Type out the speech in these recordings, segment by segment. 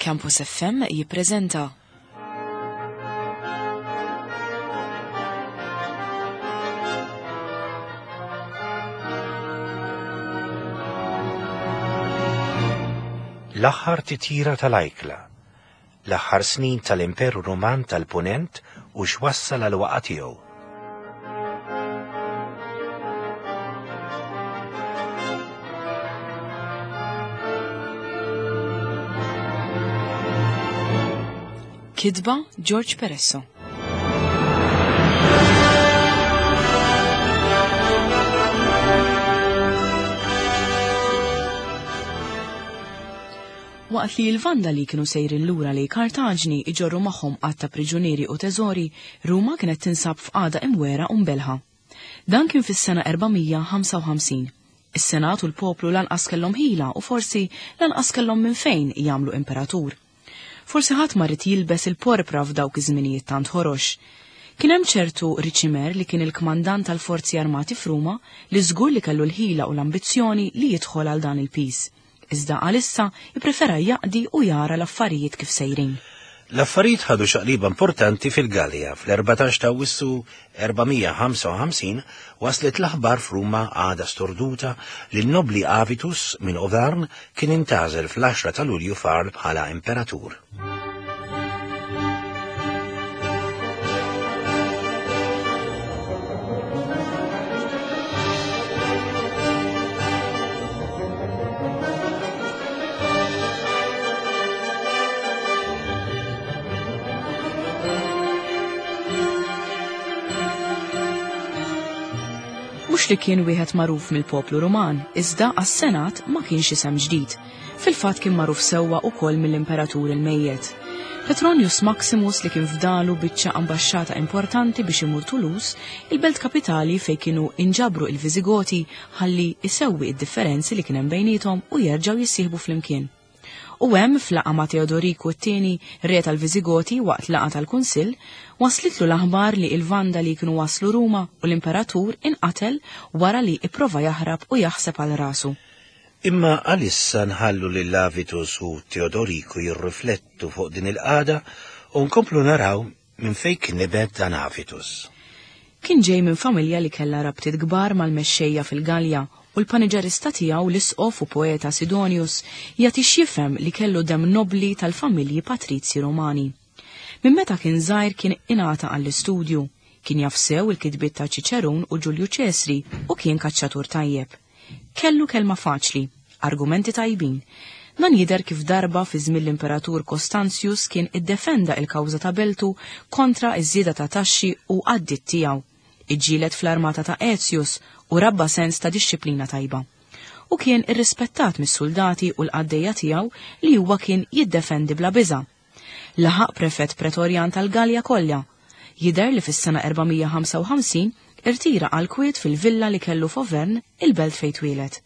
Campus FM jippreżenta. L-aħħar titjira tal-ajkla, l-aħħar snin tal-Imperu Ruman tal-Punent u x'wassal għal waqa' tiegħu. Kitba George Peresso. Waqt li l-Vandali kienu sejrin lura lejn Kartaġni iġorru magħhom għadd ta' priġunieri u teżori, Ruma kienet tinsab f'qagħda imwegħra u mbellħa. Dan kien fis-sena 455. Is-Senat u l-poplu lanqas kellhom ħila u forsi lanqas kellhom minn fejn jagħmlu imperatur. Forsi ħadd ma ried jilbes il-porpra f'dawk iż-żminijiet tant ħorox. Kien hemm ċertu Ricimer li kien il-kmandant tal-forzi armati f'Ruma li żgur li kellu l-ħila u l-ambizzjoni li jidħol għal dan il-piż. Iżda għalissa ipprefera jaqdi u jara l-affarijiet kif sejrin. L-affarijiet ħadu xaqliba importanti fil-Gallia. Fl-14 ta' Awwissu 455 waslet l-aħbar f'Ruma għada storduta li n-nobbli Avitus minn Auvergne kien intgħażel fl-10 ta' Lulju f'Arles bħala imperatur. Mhux li kien wieħed magħruf mill-poplu Ruman, iżda għas-Senat ma kienx isem ġdid. Fil-fatt kien magħruf sewwa ukoll mill-imperatur il-mejjet. Petronius Maximus li kien fdalu biċċa ambaxxata importanti biex imur Toulouse, il-belt kapitali fejn kienu inġabru il-Viżigoti ħalli isewwi id-differenzi li kien hemm bejniethom u jerġgħu jissieħbu flimkien. U hemm, f'laqgħa ma' Teodoriku t-Tieni, re tal-Viżigoti, waqt laqgħa tal-kunsill, waslitlu l-aħbar li il-Vandali kienu waslu Ruma u l-imperatur inqatel wara li ipprova jaħrab u jaħseb għal rasu. Imma għalissa nħallu lil Avitus u Teodoriku jirriflettu fuq din il-qagħda u nkomplu naraw minn fejn kien nibet dan Avitus. Kien ġej minn familja li kellha rabtiet kbar mal-mexxejja fil-Galja u l-paniġerista tiegħu l-isqof u poeta Sidonius jagħti x'jifhem li kellu demm nobbli tal-familji patrizji Rumani. Minn meta kien żgħir kien ingħata għall-istudju. Kien jaf sew il-kitbiet ta' Ċiċerun u Ġulju Ċesri u kien kaċċatur tajjeb. Kellu kelma faċli, argumenti tajbin. Dan jidher kif darba fi żmien l-Imperatur Costantius kien iddefenda il-kawża ta' beltu kontra ż-żieda ta' taxxi u għad-ditt tiegħu. Iġġieled fl-armata ta' Aetius u rabba sens ta' dixxiplina tajba. U kien irrispettat mis-suldati u l-qaddejja tiegħu li huwa kien jiddefendi bla biża'. Laħaq prefett pretorjan tal-Galja kollha. Jidher li fis-sena 455 irtira għall-kwiet fil-villa li kellu f'Auvergne, il-belt fejn twieled.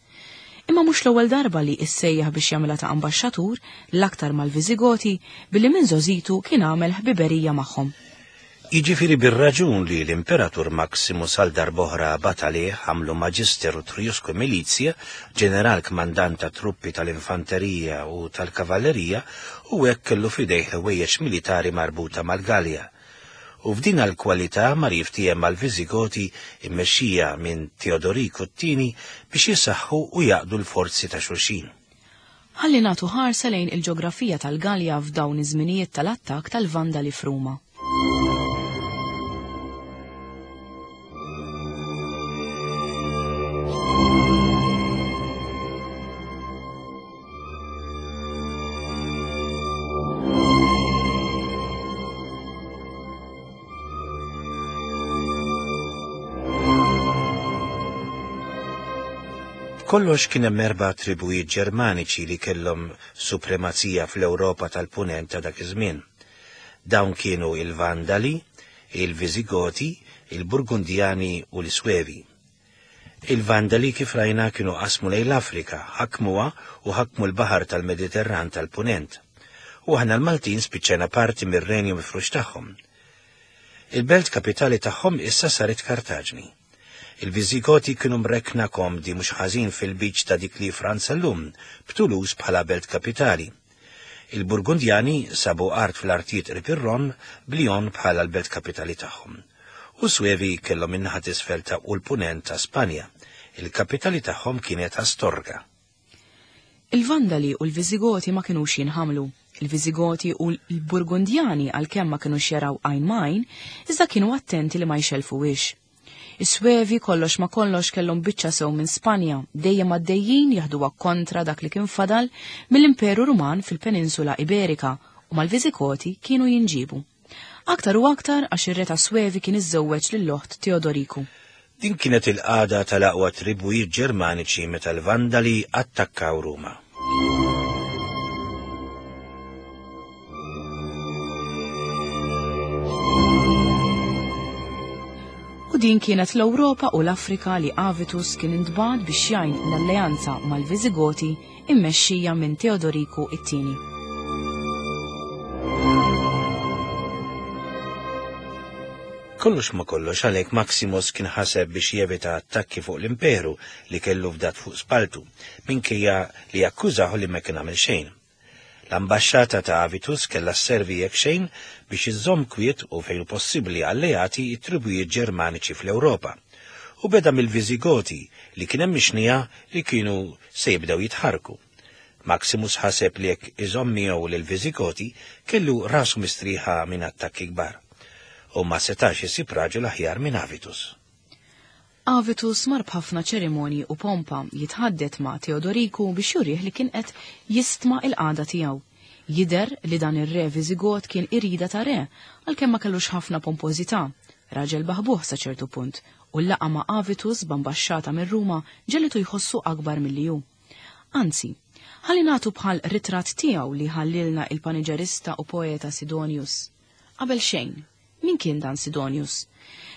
Imma mhux l-ewwel darba li issejjaħ biex jagħmilha ta' ambaxxatur, l-aktar mal-Viżigoti, billi minn żgħożitu kien għamel ħbiberija magħhom. Jiġifieri bir-raġun li l-Imperatur Maximus għal darb'oħra bagħat għalih għamlu Magister Utriusque Militiae, ġeneral kmandant tat-truppi tal-infanterija u tal-kavallerija, u hekk kellu f'idejh ħwejjeġ militari marbuta mal-Galja. U f'din l-kwalità mar jiftiehem mal-Viżigoti mmexxija minn Teodoriku t-Tieni biex jisaħħu u jgħaqqdu l-forzi ta' xulxin. Ħalli nagħtu ħarsa lejn il-ġografija tal-Galja f'dawn iż-żminijiet tal-attakk tal-Vandali f'Ruma. B'kollox kien hemm erba' tribujiet Ġermaniċi li kellhom supremazija fl-Ewropa tal-Punent ta' dak iż-żmien. Dawn kienu il-Vandali, il-Viżigoti, il-Burgundjani u l-Iswevi. Il-Vandali kif rajna kienu qasmu lejn l-Afrika, ħakmuha u ħakmu l-baħar tal-Mediterran tal-Punent. U aħna l-Maltin spiċċajna parti mir-renju mifrux tagħhom. Il-belt kapitali tagħhom issa saret Kartaġni. Il-Viżigoti kienu mrekkna komdi mhux ħażin fil-lbiċ ta' dik li Franza llum, b'Toulouse bħala belt kapitali. Il-Burgundjani sabu art fl-artijiet qrib ir-Ron b'Lyon bħala l-belt kapitali tagħhom. U s-Svevi kellhom in-naħa t'isfel ta' u l-punent ta' Spanja. Il-kapitali tagħhom kienet Astorga. Il-Vandali u l-Viżigoti ma kinux jinħamlu. Il-Viżigoti u l-Burgundjani għalkemm ma kinux jaraw għajn ma' għajn, iżda kienu attenti li ma jxellfuhiex. Is-Svevi kollox ma' kollox kellhom biċċa sew minn Spanja, dejjem għaddejjin jaħduha kontra dak li kien fadal mill-Imperu Ruman fil-Peninsula Iberika u mal-Viżigoti kienu jinġiebu. Aktar u aktar għax ir-re tas-Svevi kien iżżewweġ lill-oħt Teodoriku. Din kienet il-qagħda tal-aqwa tribujiet Ġermaniċi meta l-Vandali attakkaw Ruma. U din kienet l-Ewropa u l-Afrika li Avitus kien intbagħat biex jgħin l-alleanza mal-Viżigoti immexxija minn Teodoriku it-Tieni. Kollox ma kollox għalhekk Maximus kien ħaseb biex jevita attakki fuq l-imperu li kellu fdat fuq spaltu, minkejja li akkużahu li ma kien għamel xejn. L-ambaxxata ta' Avitus kellha sservi jekk xejn biex iżżomm kwiet u fejn hu possibbli alleati t-tribujiet Ġermaniċi fl-Ewropa. U beda mill-Viżigoti li kien hemm ixnija li kienu se jibdew jitħarrku. Maximus ħaseb li jekk iżomm miegħu lill-Viżigoti kellu rasu mistrieħa minn attakki kbar. U ma setax isib raġel aħjar minn Avitus. Avitus mar b'ħafna ċerimonji u pompa jitħaddet ma' Teodoriku biex jurih li kien qed jistma l-qagħda tiegħu. Jidher li dan ir-re Viżigot kien irida ta' re, għalkemm ma kellux ħafna pompożità. Raġel baħbuħ sa ċertu punt, u l-laqgħa ma' Avitus b'ambaxxata minn Ruma ġegħlitu jħossu akbar milli hu. Anzi, ħalli nagħtu bħal ritratt tiegħu li ħallielna il-paniġerista u poeta Sidonius. Qabel xejn, min kien dan Sidonius?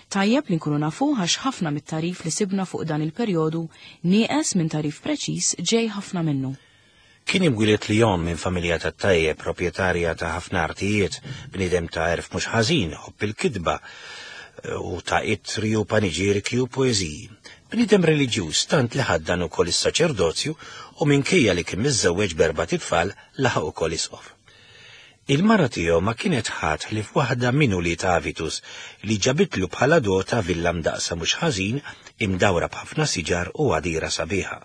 Tajjeb li nkunu nafuh għax ħafna mit-tagħrif li sibna fuq dan il-perjodu nieqes minn tagħrif preċiż ġej ħafna minnu. Kien imwieled Lyon minn familja tat-tajjeb, proprjetarja ta' ħafna artijiet, bniedem ta' għerf mhux ħażin, iħobb il-kitba u ta' ittri u paniġierki u poeżiji. Bniedem reliġjuż tant li ħaddan ukoll is-saċerdozju u minkejja li kien miżżewweġ b'erbat itfal laħaq ukoll isqof. Il-mara tiegħu ma kienet ħadd ħlief waħda minn ulied Avitus li ġabitlu bħala dota villa mdaqqsa mhux ħażin imdawra b'ħafna siġar u għadira sabiħa.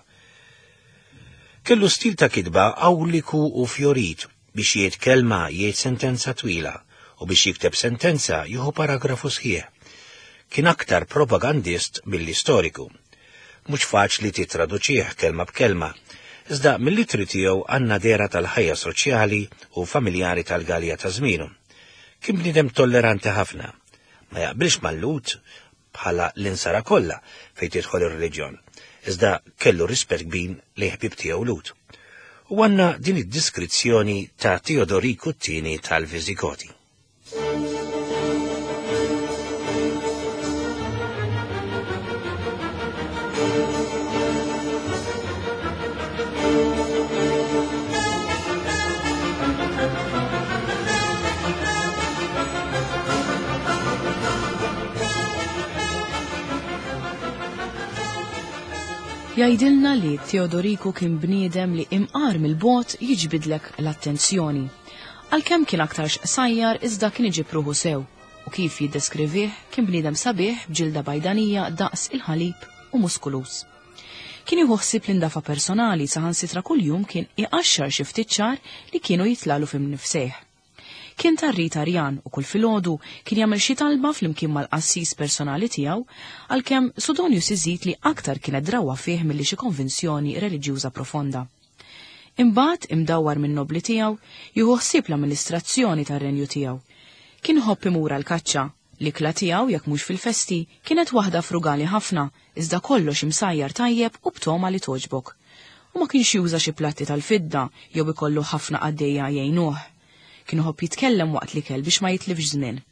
Kellu stil ta' kitba awliku u fjorit, biex jgħid kelma jgħid sentenza twila u biex jikteb sentenza jieħu paragrafu sħiħ. Kien aktar propagandist milli storiku. Mhux faċli tittraduċih kelma b'kelma, iżda mill-ittri tiegħu għandna dehra tal-ħajja soċjali u familjari tal-Galja ta' żmienu. Kien bniedem tolleranti ħafna. Ma jaqbilx mal-Lhud, bħala l-insara kollha fejn tidħol ir-reliġjon, iżda kellu rispett kbir lejn ħbieb tiegħu Lhud. U għandna din id-diskrizzjoni ta' Teodoriku t-tieni tal-Viżigoti. Jgħidilna li Teodoriku kien bniedem li imqar mill-bogħod jiġbidlek l-attenzjoni. Għalkemm kien aktarx qsajjar iżda kien iġib ruħu sew u kif jiddeskrivih kien bniedem sabiħ b'ġilda bajdanija daqs il-ħalib u muskuluż. Kien jieħu ħsieb l-indafa personali saħansitra kuljum kien iqaxxar xi ftit xagħar li kienu jitlalu f'imnifsejh. Kien tar-rit Arjan u kull filgħodu kien jagħmel xi talba flimkien mal-qassis personali tiegħu, għalkemm Sudonius iżid li aktar kienet drawwa fih milli xi konvinzjoni reliġjuża profonda. Imbagħad, imdawwar min-nobbli tiegħu, jieħu ħsieb l-amministrazzjoni tar-renju tiegħu. Kien iħobb imur għall-kaċċa. L-ikla tiegħu, jekk mhux fil-festi, kienet waħda frugali ħafna, iżda kollox imsajjar tajjeb u b'togħma li togħġbok. U ma kienx juża xi platti tal-fidda jew ikollu ħafna qaddejja jgħinuh. Kien iħobb jitkellem waqt l-ikel biex ma jitlifx żmien.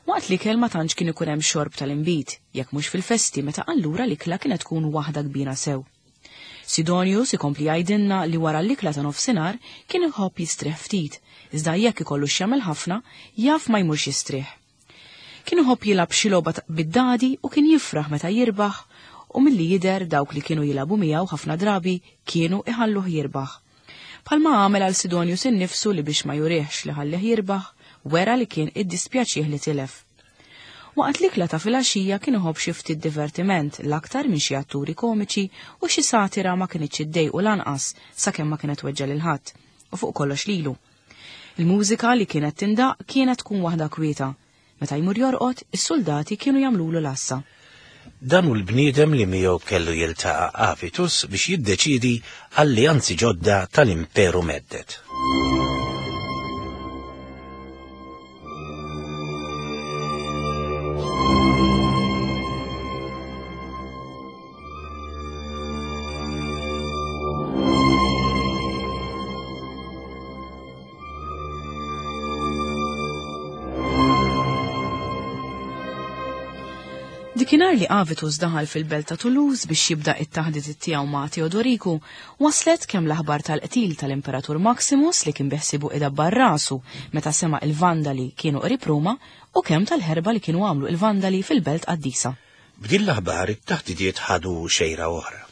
Waqt l-ikel ma tantx kien ikun hemm xorb tal-inbid, jekk mhux fil-festi meta allura l-ikla kienet tkun waħda kbira sew. Sidonius ikompli jgħidilna li wara l-ikla ta' nofsinhar kien iħobb jistrieħ ftit, iżda jekk ikollu x'jagħmel ħafna, jaf ma jmurx jistrieħ. Kien iħobb jilgħab xi logħba bid-dadi u kien jifraħ meta jirbaħ u milli jidher dawk li kienu jilagħbu miegħu ħafna drabi kienu iħalluh jirbaħ. Bħalma għamel għal Sidonius innifsu li biex ma jurihx li ħallih jirbaħ, wera li kien iddispjaċih li tilef. Waqt l-ikla ta' filgħaxija kien iħobb xi ftit divertiment, l-aktar minn xi atturi komiċi u xi satira ma kinitx iddejqu lanqas sakemm ma kienet tweġġa' lil ħadd, u fuq kollox lilu. Il-mużika li kienet tindaqq kienet tkun waħda kwieta. Meta jmur jorqod, is-suldati kienu jagħmlulu l-għassa. Dan hu l-bniedem li miegħu kellu jiltaqa' Avitus biex jiddeċiedi alleanzi ġodda tal-Imperu Medded. Dikinhar li Avitus daħal fil-belt ta' Toulouse biex jibda it-taħditiet tiegħu ma' Teodoriku, waslet kemm l-aħbar tal-qtil tal-Imperatur Maximus li kien beħsibu idabbar rasu meta sema' il-Vandali kienu qrib Ruma u kemm tal-ħerba li kienu għamlu il-Vandali fil-belt qaddisa. B'din l-aħbar it-taħdidiet ħadu xejra oħra.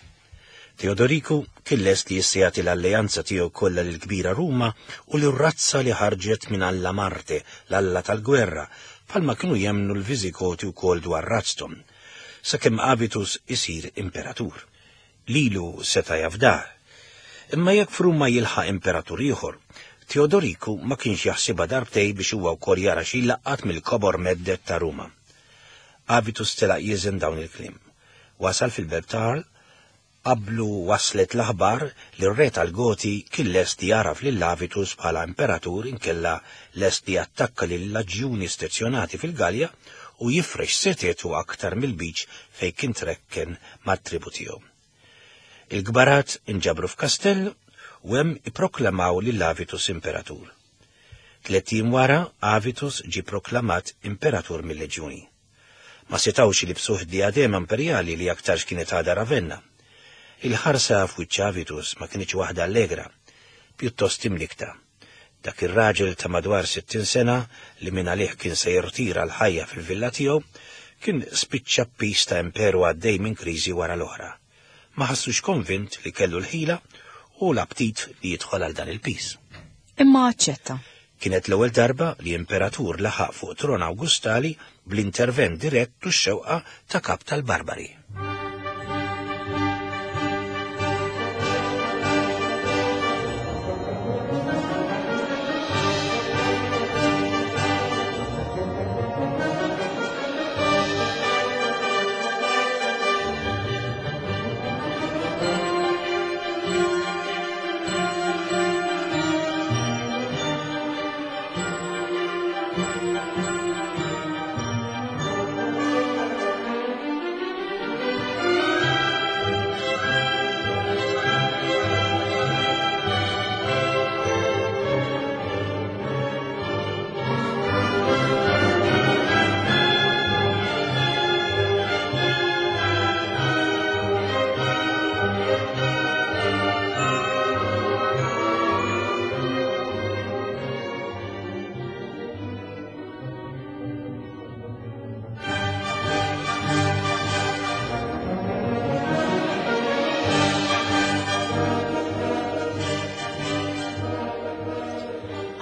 Teodoriku kien lest li issa jagħti l-alleanza tiegħu kollha lill-kbira Ruma u lir-razza li ħarġet minn Alla Marte, l-alla tal-gwerra, bħalma kienu jemmnu l-Viżigoti wkoll dwar razzthom, sakemm Avitus isir imperatur. Lilu seta' jafdah. Imma jekk f'Ruma jilħaq imperatur ieħor, Teodoriku ma kienx jaħsibha darbtejn biex huwa wkoll jara xi jlaqqat mill-kobor medded ta' Ruma. Avitus telaq jiżen dawn il-kliem. Wasal fil-belt ta' Arles, qablu waslet l-aħbar li r-re tal-Goti kien lest li jagħraf lil Avitus bħala imperatur inkella lest li jattakka lil-laġjuni stezzjonati fil-Gallja u jifrex setgħetu aktar mill-Lbiċ fejn kien trekken mat-tribu tiegħu. Il-kbarat inġabru f'kastell u hemm ipproklamaw lil Avitus imperatur. Tlett ijiem wara, Avitus ġie proklamat imperatur mil-leġjuni. Ma setgħux ilibsuh d-dijadema imperjali li aktarx kienet għadha Ravenna. Il-ħarsa f'wiċċ Avitus ma kinitx waħda allegra, pjuttost imnikkta. Dak ir-raġel ta' madwar 60 sena li mingħalih kien se jirtira l-ħajja fil-villa tiegħu, kien spiċċa b'piż ta' imperu għaddej minn kriżi wara l-oħra. Ma ħassux konvint li kellu l-ħila u l-aptit li jidħol għal dan il-piż. Imma aċċetta. Kienet l-ewwel darba li imperatur laħaq fuq tron Awgustali bl-intervent dirett u x-xewqa ta' kap tal-Barbari.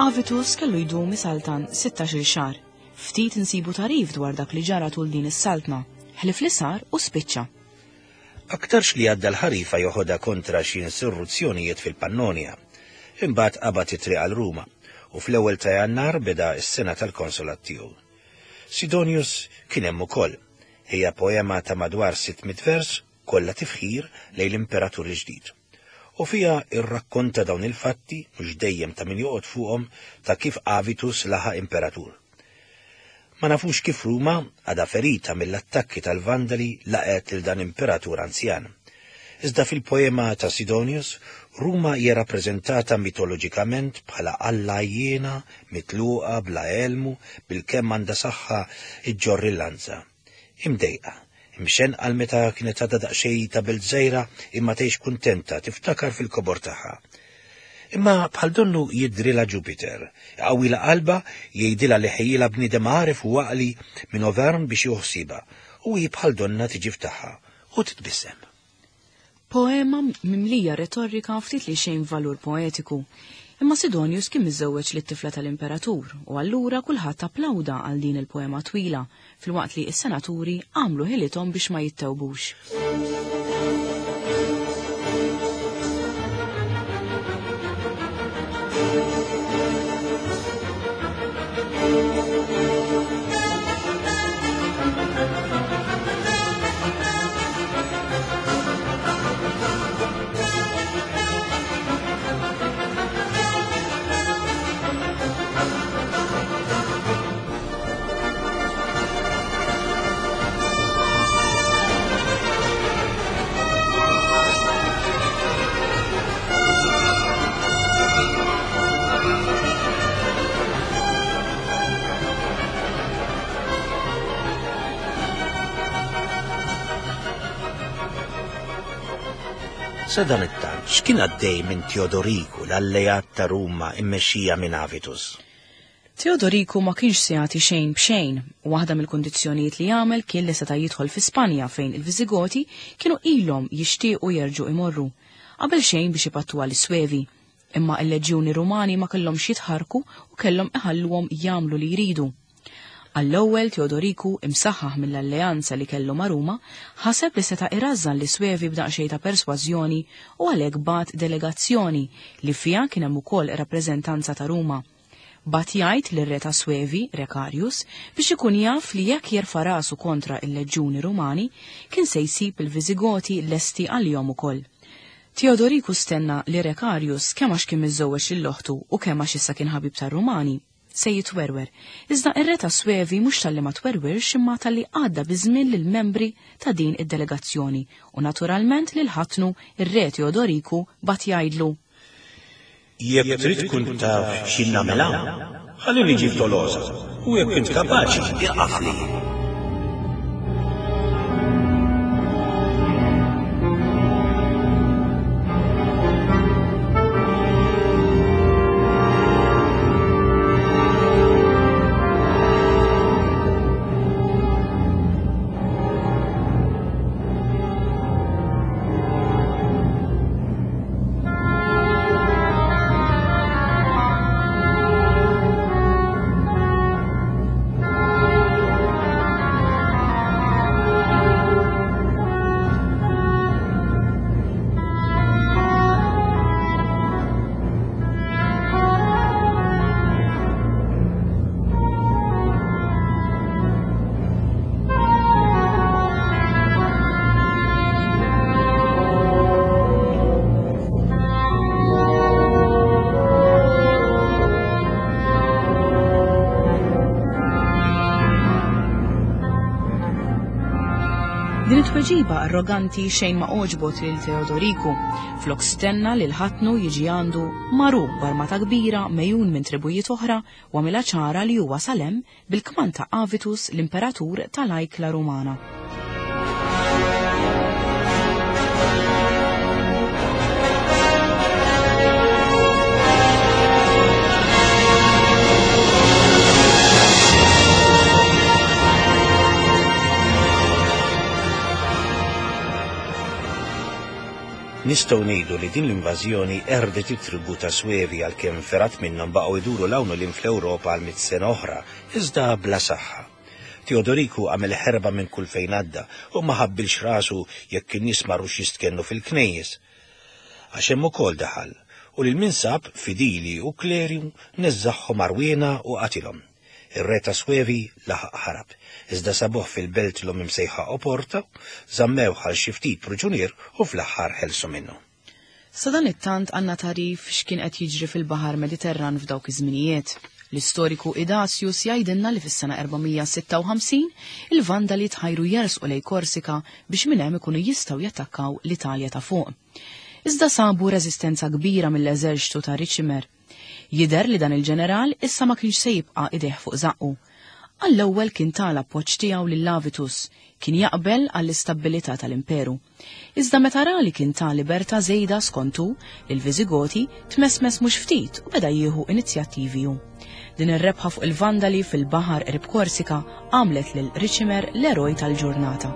Avitus kellu jdum isaltan 16-il xahar. Ftit insibu tagħrif dwar dak li ġara tul din is-saltna, ħlief li sar u spiċċa. Aktarx li għadda l-ħarifa joħodha kontra xi insurruzzjonijiet fil-Pannonja. Imbagħad qabad it-triq għal Ruma, u fl-ewwel ta' Jannar beda s-sena tal-konsolat tiegħu. Sidonius kien hemm ukoll. Hija poema ta' madwar 600 vers, kollha tifħir lejn l-imperatur il-ġdid. U fiha rrakkonta dawn il-fatti, mhux dejjem ta' min joqgħod fuqhom, ta' kif Avitus laħaq imperatur. Ma nafux kif Ruma, għadha ferita mill-attakki tal-Vandali, laqgħet lil dan imperatur anzjan. Iżda fil-poema ta' Sidonius, Ruma hija rappreżentata mitoloġikament bħala alla għajjiena, mitluqa, bla elmu, bilkemm għandha saħħa ġġorr il-lanza. Imdejqa. Imxennqa għal meta kienet għadha daqsxejn ta' belt żgħira imma tgħix kuntenta, tiftakar fil-kobor tagħha. Imma bħal donnu jidhrilha Ġupiter, iqawwilha qalbha, jgħidilha li ħejjilha bniedem għaref u għaqli minn Auvergne biex jieħu ħsiebha, u hi bħal donnha tiġi f'tagħha u titbissem. Poema mimlija retorika ftit li xejn valur poetiku. Imma Sidonius kien miżżewweġ lit-tifla tal-imperatur u allura kulħadd applawda għal din il-poema twila filwaqt li s-senaturi għamlu ħilithom biex ma jittewbux. Sadanittant, x'kien għaddej minn Teodoriku, l-alleat ta' Ruma immexxija minn Avitus? Teodoriku ma kienx se jagħti xejn b'xejn. Waħda mill-kundizzjonijiet li għamel kien li seta' jidħol fi Spanja fejn il-Viżigoti kienu ilhom jixtiequ jerġgħu imorru. Qabel xejn biex ipattuha lis-Svevi. Imma l-leġjuni Rumani ma kellhomx jitħarrku u kellhom iħalluhom jagħmlu li jridu. Għall-ewwel Teodoriku, imsaħħaħ mill-alleanza li kellu ma' Ruma, ħaseb li seta' irażżan lis-Svevi b'daqsxejn ta' persważjoni u għalhekk bagħat delegazzjoni li fiha kien hemm ukoll rappreżentanza ta' Ruma. Bagħat jgħid lir-re tas-Svevi, Recarius, biex ikun jaf li jekk jerfa' rasu kontra l-leġjuni Rumani, kien se jsib il-Viżigoti lesti għalihom ukoll. Teodoriku stenna li Recarius, kemm għax kien miżżewweġ lil oħtu u kemm għax issa kien ħabib tar-Rumani, se jitwerwer. Iżda r-re tas-Svevi mhux talli ma twerwirx imma talli għadda biż-żmien lill-membri ta' din id-delegazzjoni u naturalment lil ħatnu r-re Teodoriku bagħat jgħidlu. Jekk trid tkun taf x'jien nagħmel hawn, ħalli niġi f'Tolosa, u jekk int kapaċi, iqafli. Din it-tweġiba arroganti xejn ma għoġbot lil Teodoriku. Flok stenna lil ħatnu jiġi għandu maru b'armata kbira mejun minn tribujiet oħra u għamilha ċara li huwa wasal hemm bil-kmand ta' Avitus l-imperatur tal-ajkla Rumana. Nistgħu ngħidu li din l-invażjoni qerdet it-tribù ta' Svevi għalkemm fergħat minnhom baqgħu jduru 'l hawn u 'l hinn fl-Ewropa għal mitt sena oħra, iżda bla saħħa. Teodoriku għamel ħerba minn kull fejn għadda u ma ħabbilx rasu jekk in-nies marrux jistkennu fil-knejjes. Għax hemm ukoll daħal, u lil min sab, fidili u kleru, neżżagħhom għarwiena u qatilhom. Ir-re ta' Svevi laħaq ħarab, iżda sabuh fil-belt l-omm imsejħa Oporta, żammewh għal xi ftit pruġunier u fl-aħħar ħelsu minnu. Sadanittant għandna tagħrif x'kien qed jiġri fil-Baħar Mediterran f'dawk iż-żminijiet. L-istoriku Idasius jgħidilna li fis-sena 456 il-Vandali tħajru jersqu lejn Korsika biex minn hemm ikunu jistgħu jattakkaw l-Italja ta' fuq. Iżda sabu reżistenza kbira mill-eżerċtu ta' Ricimer. Jidher li dan il-ġeneral issa ma kienx se jibqa' idejh fuq żaqqu. Għall-ewwel kien ta l-appoġġ tiegħu lil Avitus, kien jaqbel għall-istabbilità tal-imperu. Iżda meta ra li kien ta libertà żejda skont hu lill-Viżigoti, tmesmes mhux ftit u beda jieħu inizjattivi hu. Din ir-rebħa fuq il-Vandali fil-baħar qrib Korsika għamlet lil Ricimer l-eroj tal-ġurnata.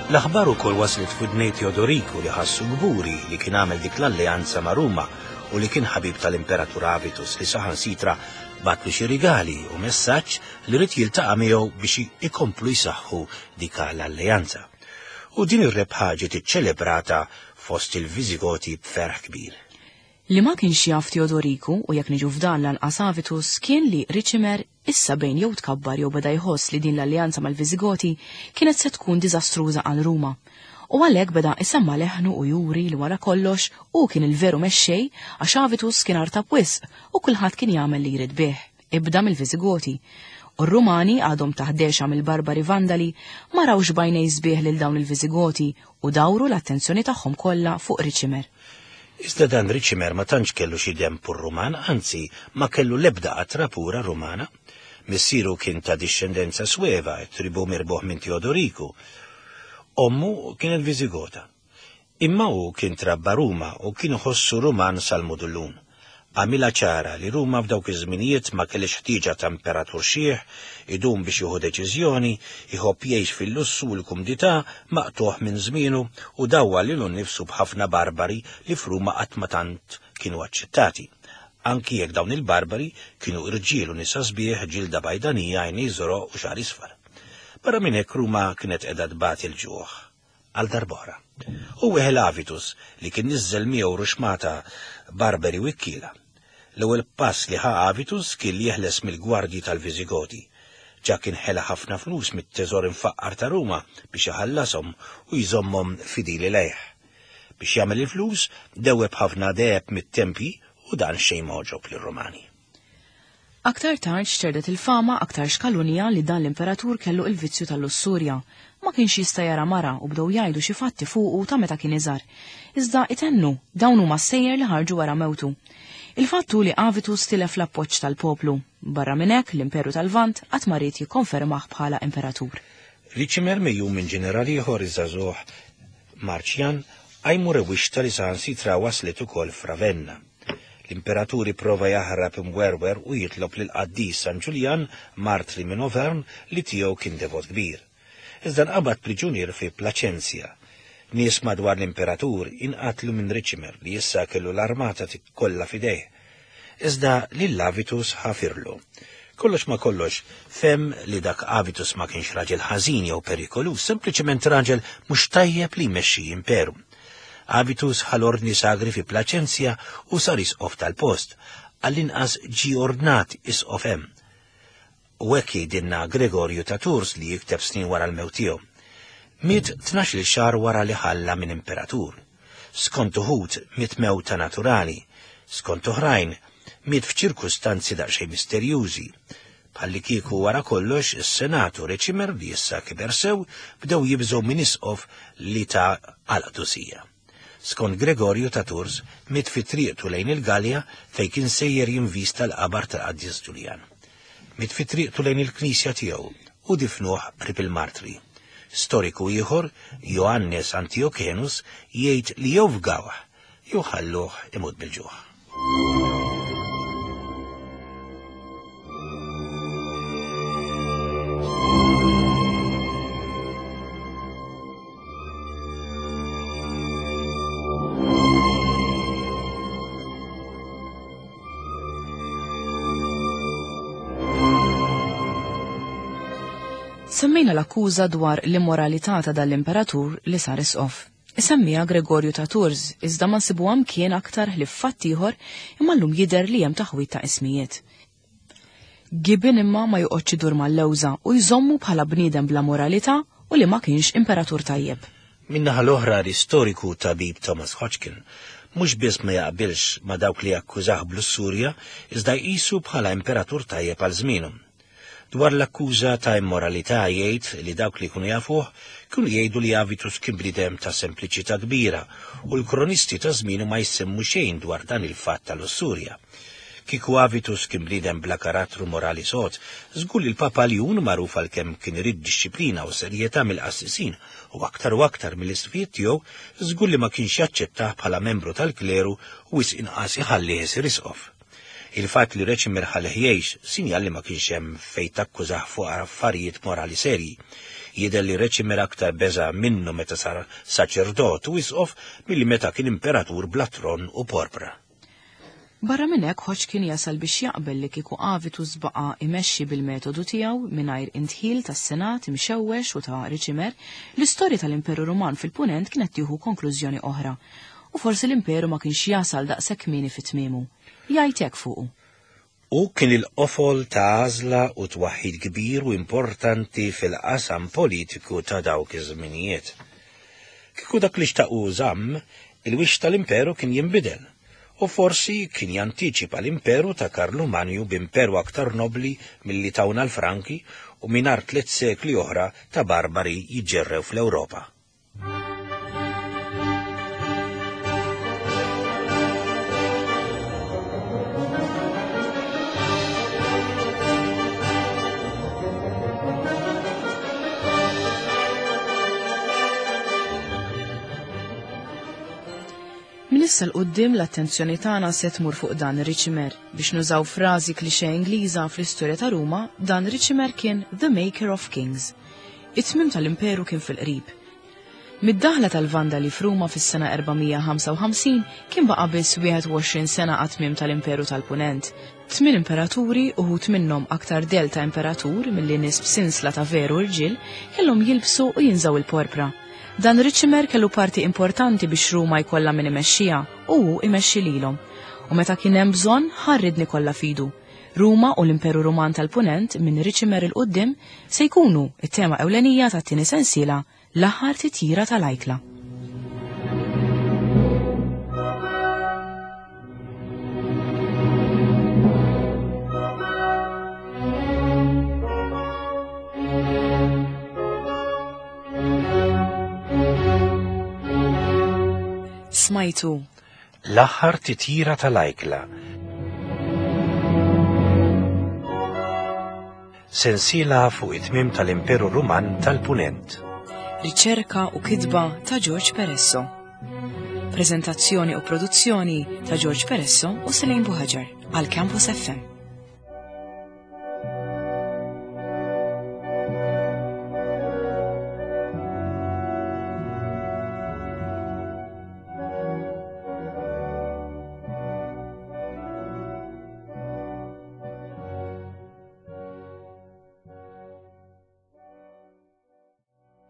L-aħbar ukoll waslet f'widnej Teodoriku li ħassu kburi li kien għamel dik l-alleanza ma' Ruma u li kien ħabib tal-Imperatur Avitus li saħansitra bagħatlu xi rigali u messaġġ li ried jiltaqa' miegħu biex ikomplu jsaħħu dik l-alleanza. U din ir-rebħa ġiet iċċelebrata fost il-Viżigoti b'ferħ kbir. Li ma kienx jaf Teodoriku, u jekk niġu f'dan lanqas Avitus, kien li Ricimer issa bejn jew tkabbar jew beda jħoss li din l-alleanza mal-Viżigoti kienet se tkun diżastruża għal Ruma. U għalhekk beda isemma' leħnu u juri li wara kollox hu kien il-veru mexxej għax Avitus kien artab wisq u kulħadd kien jagħmel li jrid bih, ibda mill-Viżigoti. U r-Rumani għadhom taħt dehxa mill-barbari Vandali ma rawx b'għajnej sbieħ lil dawn il-Viżigoti u dawru l-attenzjoni tagħhom kollha fuq Ricimer. Iżda dan Ricimer ma tantx kellu xi demm pur Ruman, anzi ma kellu l-ebda qatra pura Rumana. Missieru kien ta' dixxendenza Sweva, tribù mirbuħ minn Teodoriku. Ommu kienet Viżigota. Imma hu kien trabba Ruma u kien iħossu Ruman sal-mudullun. Għamilha ċara li Ruma f'dawk iż-żminijiet ma kellhiex ħtieġa ta' imperatur xiħ, idum biex jieħu deċiżjoni, iħobb jgħix fil-lussu u l-kumdità, maqtugħ minn żmienu u dawwar lilu nnifsu b'ħafna barbari li f'Ruma qatt ma tant kienu aċċettati. Anki jekk dawn il-barbari kienu irġiel u nisa sbieħ, ġilda bajdanija, għajnejn żoroq u xagħar isfar. Barra minn hekk Ruma kienet qiegħda tbati l-ġuħ. Għal darb'oħra. U weħel Avitus li kien niżżel miegħu ruxmata barberi u ikkiela. L-ewwel pass li ħa Avitus kien li jeħles mill-gwardji tal-Viżigoti. Ġa kien ħela ħafna flus mit-teżor imfaqqar ta' Ruma biex iħallashom u jżommhom fidili lejh. Biex jagħmel il-flus, dewweb ħafna deheb mit-tempji u dan xejn ma għoġob lir-Rumani. Aktar tard xterdet il-fama aktarx kalunja li dan l-imperatur kellu il-vizzju tal-lussurja. Ma kienx jista' jara mara u bdew jgħidu xi fatti fuqu ta' meta kien iżgħar. Iżda itennu, dawn huma stejjer li ħarġu wara mewtu. Il-fatt hu li Avitus tilef l-appoġġ tal-poplu. Barra minn hekk, l-Imperu tal-Lvant qatt ma ried jikkonfermah bħala imperatur. Ricimer megħjun minn ġeneral ieħor iż-żagħżugħ Marcian qajmu rewwixta li saħansitra waslet ukoll f'Ravenna. L-imperatur ipprova jaħrab imwerwer u jitlob lill-qaddis San Ġuljan, martri minn Auvergne, li tiegħu kien devot kbir. Iżda nqabad priġunier fi Placentia. Nies madwar l-imperatur inqatlu minn Ricimer li issa kellu l-armata kollha f'idejh. Iżda lil Avitus ħafirlu. Kollox ma' kollox, fehem li dak Avitus ma kienx raġel ħażin jew perikoluż, sempliċement raġel mhux tajjeb li jmexxi imperu. Avitus ħa l-ordni sagri fi Placentia u sar isqof tal-post. Għall-inqas ġie ordnat isqof hemm. U hekk jgħidilna Gregorju ta' Tours li jikteb snin wara l-mewt tiegħu. Miet tnax-il xahar wara li ħalla minn imperatur. Skont uħud, miet mewta naturali. Skont oħrajn, miet f'ċirkustanzi daqsxejn misterjużi. Bħallikieku wara kollox, is-Senat u Ricimer, li issa kiber sew, bdew jibżgħu minn isqof li ta għall-qdusija. Skont Gregorju ta' Tours, miet fi triqtu lejn il-Galja fejn kien sejjer jinvista l-qabar tal-Qaddis Ġuljan. Miet fi triqtu lejn il-knisja tiegħu u difnuh qrib il-martri. Storiku ieħor, Joannes Antiokenus, jgħid li jew fgawh jew ħalluh imut bil-ġuħ. Semmejna l-akkuża dwar l-immoralità ta' dan l-imperatur li sar isqof. Isemmiha Gregorju ta' Tours, iżda ma nsibuha mkien aktar ħlief f'fatt ieħor imma llum jidher li hemm taħwid ta' ismijiet. Gibbon imma ma joqgħodx idur mal-lewża u jżommu bħala bniedem bla moralità u li ma kienx imperatur tajjeb. Min-naħa l-oħra l-istoriku u tabib Thomas Hodgkin mhux biss ma jaqbilx ma' dawk li jakkużah b'lussurja iżda jqisu bħala imperatur tajjeb għal żmienu. Dwar l-akkuża ta' immoralità jgħid li dawk li jkunu jafuh kienu jgħidu li Avitus kien bniedem ta' sempliċità kbira u l-kronisti ta' żmienu ma jsemmu xejn dwar dan il-fatt ta' lussurja. Kieku Avitus kien bniedem bla karattru morali sod, żgur li l-Papa Ljun, magħruf għal kemm kien irid dixxiplina u serjetà mill-qassisin u aktar u aktar mill-isqfijiet tiegħu, żgur li ma kienx jaċċettah bħala membru tal-kleru u wisq inqas iħallih isir isqof. Il-fatt li Reċimer ħallih jgħix sinjal li ma kienx hemm fejn takkużah fuq affarijiet morali serji. Jidher li Reċimer aktar beża' minnu meta sar saċerdot u isqof milli meta kien imperatur bla tron u porpra. Barra minn hekk Hodgkin jasal biex jaqbel li kieku Avitus baqa' imexxi bil-metodu tiegħu mingħajr indħil tas-Senat imxewwex u ta' Ricimer, l-istorja tal-Imperu Ruman fil-Punent kienet tieħu konklużjoni oħra. U forsi l-Imperu ma kienx jasal daqshekk kmieni fi tmiemu. Jgħid hekk fuqu. Hu kien il-qofol ta' għażla u twaħħid kbir u importanti fil-qasam politiku ta' dawk iż-żminijiet. Kieku dak li xtaq hu żamm, il-wiċċ tal-imperu kien jinbidel, u forsi kien jantiċipa l-imperu ta' Karlu Manju b'imperu aktar nobbli milli tawna l-Franki u mingħajr tliet sekli oħra ta' barbari jiġġerrew fl-Ewropa. Minn issa 'l quddiem l-attenzjoni tagħna se tmur fuq dan Ricimer. Biex nużaw frażi klixe Ingliża fl-istorja ta' Ruma, dan Ricimer kien the maker of kings. It-tmiem tal-imperu kien fil-qrib. Mid-daħla tal-Vandali f'Ruma fis-sena 455 kien baqa' biss 21 sena għat-tmiem tal-Imperu tal-Punent. Tmien imperaturi, uħud minnhom aktar dell ta' imperatur milli nies b'sinsla ta' veru rġiel, kellhom jilbsu u jinżgħu l-porpra. Dan Ricimer kellu parti importanti biex Ruma jkollha min imexxiha u hu imexxi lilhom. U meta kien hemm bżonn, ħa r-riedni kollha f'idu. Ruma u l-Imperu Ruman tal-Punent minn Ricimer 'il quddiem se jkunu t-tema ewlenija tat-tieni sensiela L-aħħar titjira tal-ajkla. Smajtu L-aħħar titjira tal-ajkla. Sensiela fuq it-tmiem tal-Imperu Ruman tal-Punent. Riċerka u kitba ta' George Peresso. Preżentazzjoni u produzzjoni ta' George Peresso u Selene Buhaġar għal Campus FM.